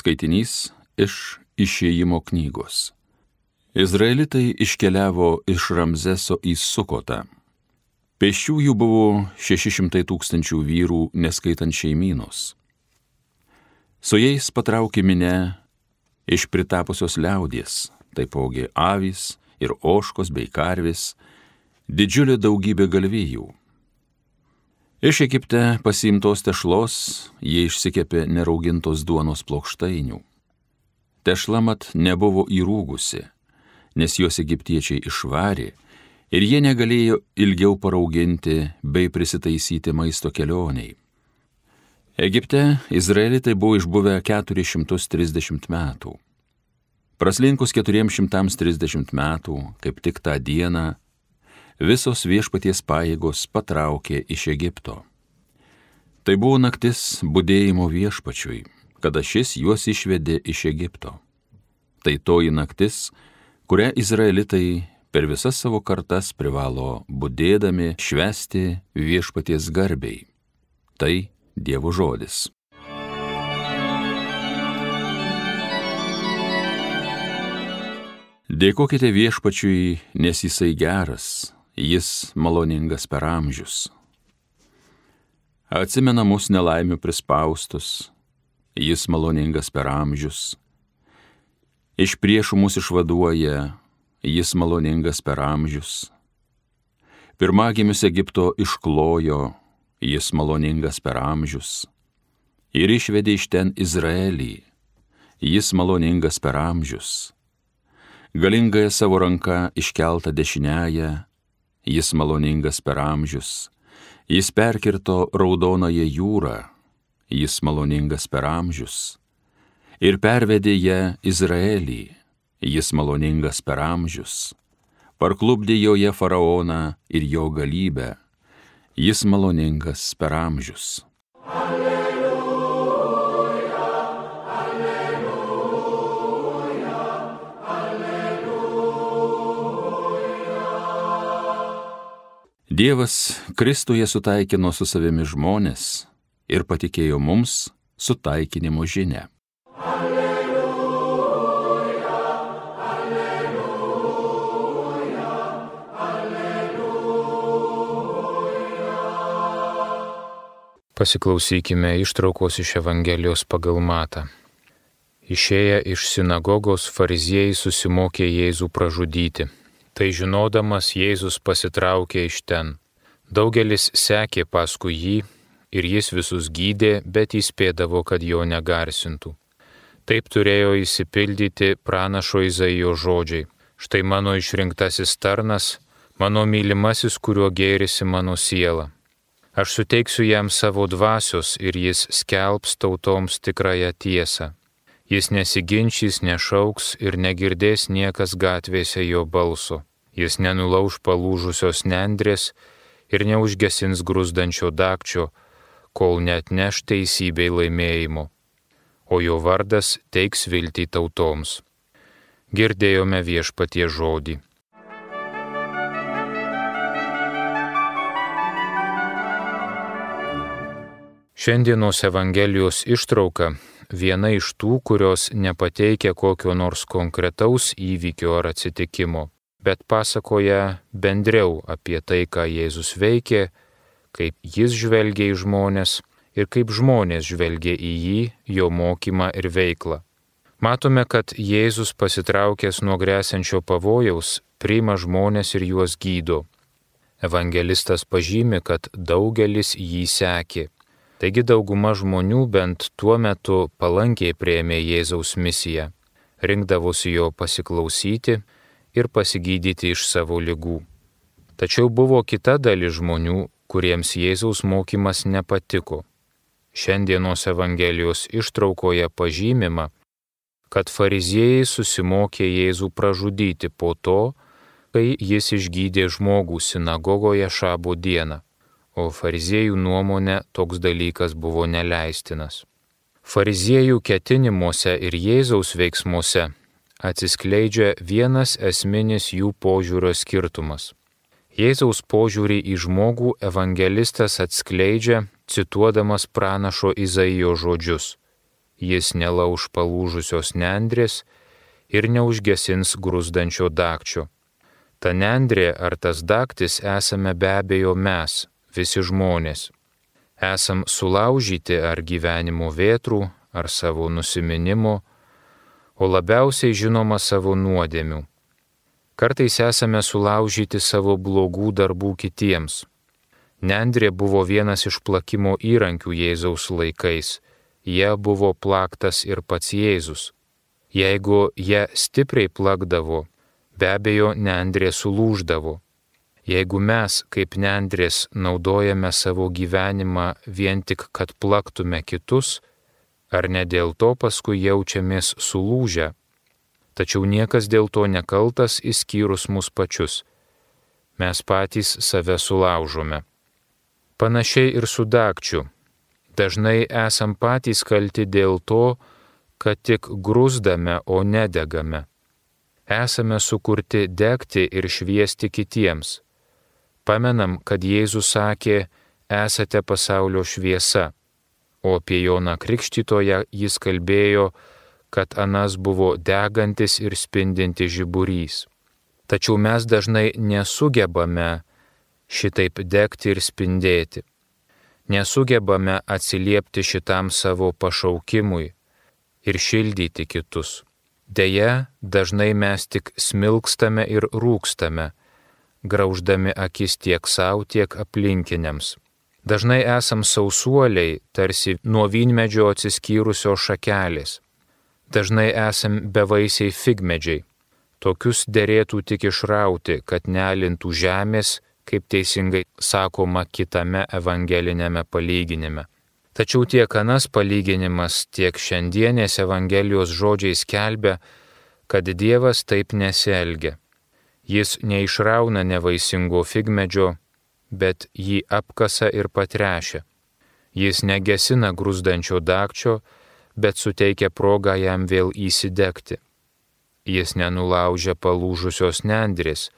Skaitinys iš Išėjimo knygos. Izraelitai iškeliavo iš Ramzeso į Sukotą. Pėsčiųjų buvo 600 000 vyrų, neskaitant šeimynos. Su jais patraukė minia iš pritapusios liaudies, taipogi avys ir ožkos bei karvės, didžiulė daugybė galvijų. Iš Egipte pasiimtos tešlos jie išsikepė neraugintos duonos plokštainių. Tešla mat nebuvo įrūgusi, nes juos egiptiečiai išvarė ir jie negalėjo ilgiau parauginti bei prisitaisyti maisto kelioniai. Egipte izraelitai buvo išbuvę 430 metų. Praslinkus 430 metų, kaip tik tą dieną, visos viešpaties pajėgos patraukė iš Egipto. Tai buvo naktis budėjimo viešpačiui, kada šis juos išvedė iš Egipto. Tai toji naktis, kurią izraelitai per visas savo kartas privalo budėdami švęsti viešpaties garbei. Tai Dievo žodis. Dėkokite viešpačiui, nes jisai geras, jis maloningas per amžius. Atsimena mus nelaimių prispaustus, jis maloningas per amžius. Iš priešų mus išvaduoja, jis maloningas per amžius. Pirmagimius Egipto išklojo, jis maloningas per amžius. Ir išvedė iš ten Izraelį, jis maloningas per amžius. Galingąją savo ranką iškeltą dešiniąją, jis maloningas per amžius. Jis perkirto Raudonąją jūrą, jis maloningas per amžius. Ir pervedė ją Izraelį, jis maloningas per amžius. Parklupdė joje faraoną ir jo galybę, jis maloningas per amžius. Dievas Kristuje sutaikino su savimi žmones ir patikėjo mums sutaikinimo žinią. Alleluja, alleluja, alleluja. Pasiklausykime ištraukos iš Evangelijos pagal Matą. Išėję iš sinagogos, fariziejai susimokė Jėzų pražudyti. Tai žinodamas, Jėzus pasitraukė iš ten. Daugelis sekė paskui jį ir jis visus gydė, bet įspėdavo, kad jo negarsintų. Taip turėjo išsipildyti pranašo Izaijo žodžiai. Štai mano išrinktasis tarnas, mano mylimasis, kuriuo gėrisi mano siela. Aš suteiksiu jam savo dvasios ir jis skelbs tautoms tikrąją tiesą. Jis nesiginčys, nešauks ir negirdės niekas gatvėse jo balso. Jis nenulauš palūžusios nendrės ir neužgesins gruzdančio dagčio, kol neatneš teisybei laimėjimo. O jo vardas teiks viltį tautoms. Girdėjome viešpatie žodį. Šiandienos Evangelijos ištrauka viena iš tų, kurios nepateikia kokio nors konkretaus įvykio ar atsitikimo, bet pasakoja bendriau apie tai, ką Jėzus veikė, kaip jis žvelgia į žmones ir kaip žmonės žvelgia į jį, jo mokymą ir veiklą. Matome, kad Jėzus pasitraukęs nuo gresiančio pavojaus priima žmones ir juos gydo. Evangelistas pažymi, kad daugelis jį sekė. Taigi dauguma žmonių bent tuo metu palankiai priėmė Jėzaus misiją, rinkdavosi jo pasiklausyti ir pasigydyti iš savo ligų. Tačiau buvo kita dalis žmonių, kuriems Jėzaus mokymas nepatiko. Šiandienos Evangelijos ištraukoje pažymima, kad fariziejai susimokė Jėzų pražudyti po to, kai jis išgydė žmogų sinagogoje šabo dieną, o fariziejų nuomone toks dalykas buvo neleistinas. Fariziejų ketinimuose ir Jėzaus veiksmuose atsiskleidžia vienas esminis jų požiūrio skirtumas. Jėzaus požiūrį į žmogų evangelistas atskleidžia, cituodamas pranašo Izaijo žodžius. jis nelauž palūžusios nendrės ir neužgesins gruzdančio dagčio. Ta nendrė ar tas dagtis esame be abejo mes, visi žmonės. Esam sulaužyti ar gyvenimo vėtrų, ar savo nusiminimo, o labiausiai žinoma savo nuodėmių. Kartais esame sulaužyti savo blogų darbų kitiems. Nendrė buvo vienas iš plakimo įrankių Jėzaus laikais. Jie buvo plaktas ir pats Jėzus. Jeigu jie stipriai plakdavo, be abejo nendrė sulūždavo. Jeigu mes, kaip nendrės, naudojame savo gyvenimą vien tik, kad plaktume kitus, ar ne dėl to paskui jaučiamės sulūžę, tačiau niekas dėl to nekaltas išskyrus mus pačius. Mes patys save sulaužome. Panašiai ir su dagčiu. Dažnai esam patys kalti dėl to, kad tik grūzdame, o nedegame. Esame sukurti degti ir šviesti kitiems. Pamenam, kad Jėzus sakė, esate pasaulio šviesa, o apie Joną Krikštytoją jis kalbėjo, kad anas buvo degantis ir spindintis žiburys. Tačiau mes dažnai nesugebame šitaip degti ir spindėti. Nesugebame atsiliepti šitam savo pašaukimui ir šildyti kitus. Deja, dažnai mes tik smilkstame ir rūkstame, grauždami akis tiek savo, tiek aplinkiniams. Dažnai esam sausuoliai, tarsi nuo vynmedžio atsiskyrusios šakelės. Dažnai esam bevaisiai figmedžiai. Tokius derėtų tik išrauti, kad nealintų žemės, kaip teisingai sakoma kitame evangelinėme palyginime. Tačiau tiek anas palyginimas, tiek šiandienės Evangelijos žodžiai skelbia, kad Dievas taip nesielgia. Jis neišrauna nevaisingo figmedžio, bet jį apkasa ir patrešia. Jis negesina grūzdančio dagčio, bet suteikia progą jam vėl įsidegti. Jis nenulaužia palūžusios nendrės,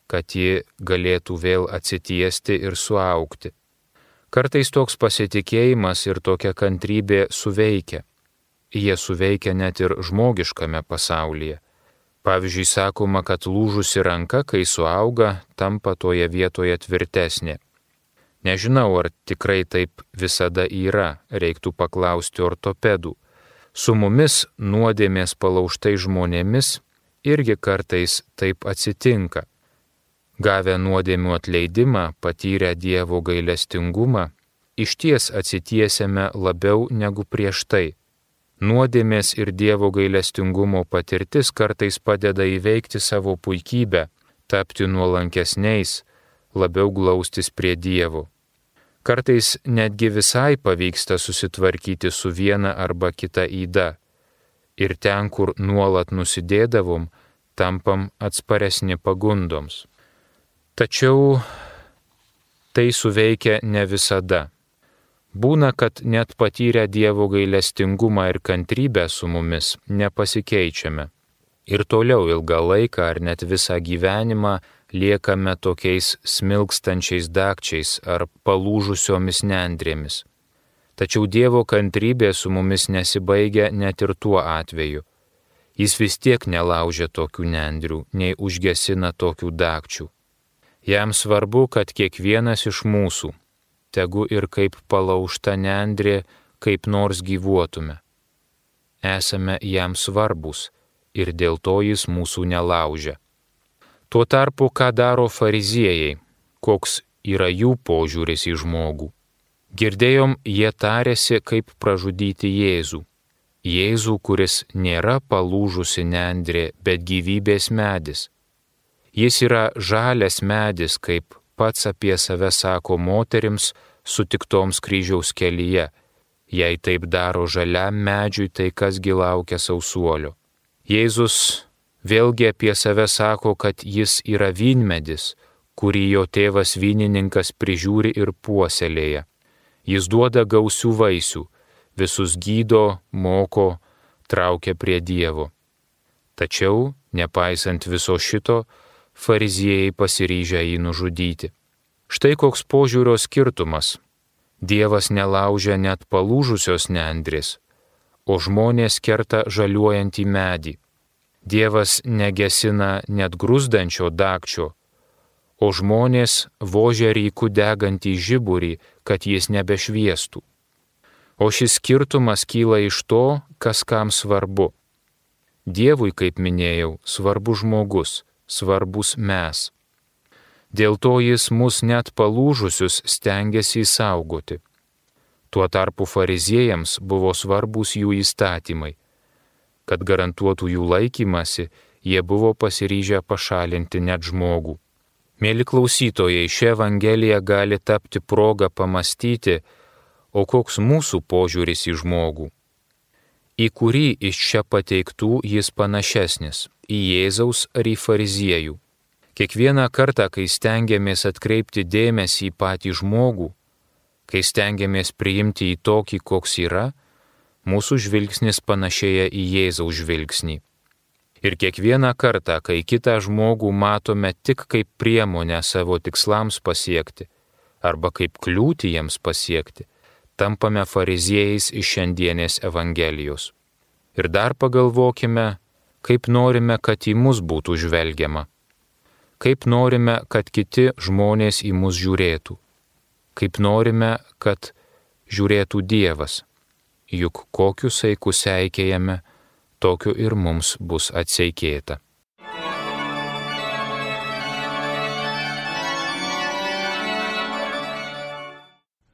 kad ji galėtų vėl atsitiesti ir suaugti. Kartais toks pasitikėjimas ir tokia kantrybė suveikia. Jie suveikia net ir žmogiškame pasaulyje. Pavyzdžiui, sakoma, kad lūžusi ranka, kai suauga, tampa toje vietoje tvirtesnė. Nežinau, ar tikrai taip visada yra, reiktų paklausti ortopedų. Su mumis nuodėmės palaužtai žmonėmis irgi kartais taip atsitinka. Gavę nuodėmių atleidimą, patyrę Dievo gailestingumą, išties atsitiesiame labiau negu prieš tai. Nuodėmės ir Dievo gailestingumo patirtis kartais padeda įveikti savo puikybę, tapti nuolankesniais, labiau glaustis prie Dievo. Kartais netgi visai pavyksta susitvarkyti su viena arba kita yda. Ir ten, kur nuolat nusidėdavom, tampam atsparesni pagundoms. Tačiau tai suveikia ne visada. Būna, kad net patyrę Dievo gailestingumą ir kantrybę su mumis nepasikeičiame. Ir toliau ilgą laiką ar net visą gyvenimą liekame tokiais smilkstančiais dagčiais ar palūžusiomis nendrėmis. Tačiau Dievo kantrybė su mumis nesibaigia net ir tuo atveju. Jis vis tiek nelaužia tokių nendrių, nei užgesina tokių dagčių. Jam svarbu, kad kiekvienas iš mūsų, tegu ir kaip palaužta nendrė, kaip nors gyvuotume. Esame jam svarbus ir dėl to jis mūsų nelaužia. Tuo tarpu, ką daro fariziejai, koks yra jų požiūris į žmogų. Girdėjom, jie tarėsi, kaip pražudyti Jėzų. Jėzų, kuris nėra palūžusi nendrė, bet gyvybės medis. Jis yra žalias medis, kaip pats apie save sako moterims sutiktoms kryžiaus kelyje. Jei taip daro žaliam medžiui, tai kasgi laukia sausuolio. Jėzus vėlgi apie save sako, kad jis yra vynmedis, kurį jo tėvas vynininkas prižiūri ir puoselėja. Jis duoda gausių vaisių, visus gydo, moko, traukia prie Dievo. Tačiau, nepaisant viso šito, fariziejai pasiryžę jį nužudyti. Štai koks požiūrio skirtumas. Dievas nelaužia net palūžusios nendrės, o žmonės kerta žaliuojantį medį. Dievas negesina net gruzdančio dagčio, o žmonės vožia ryku degantį žiburį, kad jis nebešviestų. O šis skirtumas kyla iš to, kas kam svarbu. Dievui, kaip minėjau, svarbus žmogus, svarbus mes. Dėl to jis mus net palūžusius stengiasi įsaugoti. Tuo tarpu fariziejams buvo svarbus jų įstatymai. Kad garantuotų jų laikymasi, jie buvo pasiryžę pašalinti net žmogų. Mėly klausytojai, ši Evangelija gali tapti progą pamastyti, o koks mūsų požiūris į žmogų. Į kurį iš čia pateiktų jis panašesnis - į Jėzaus ar į fariziejų. Kiekvieną kartą, kai stengiamės atkreipti dėmesį į patį žmogų, kai stengiamės priimti į tokį, koks yra, mūsų žvilgsnis panašėja į Jėzaus žvilgsnį. Ir kiekvieną kartą, kai kitą žmogų matome tik kaip priemonę savo tikslams pasiekti arba kaip kliūtį jiems pasiekti, tampame fariziejais iš šiandienės Evangelijos. Ir dar pagalvokime, kaip norime, kad į mus būtų žvelgiama. Kaip norime, kad kiti žmonės į mus žiūrėtų. Kaip norime, kad žiūrėtų Dievas. Juk kokiu saiku seikėjame, tokiu ir mums bus atseikėta.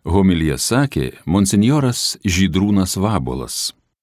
Homiliją sakė monsinjoras Žydrūnas Vabuolas.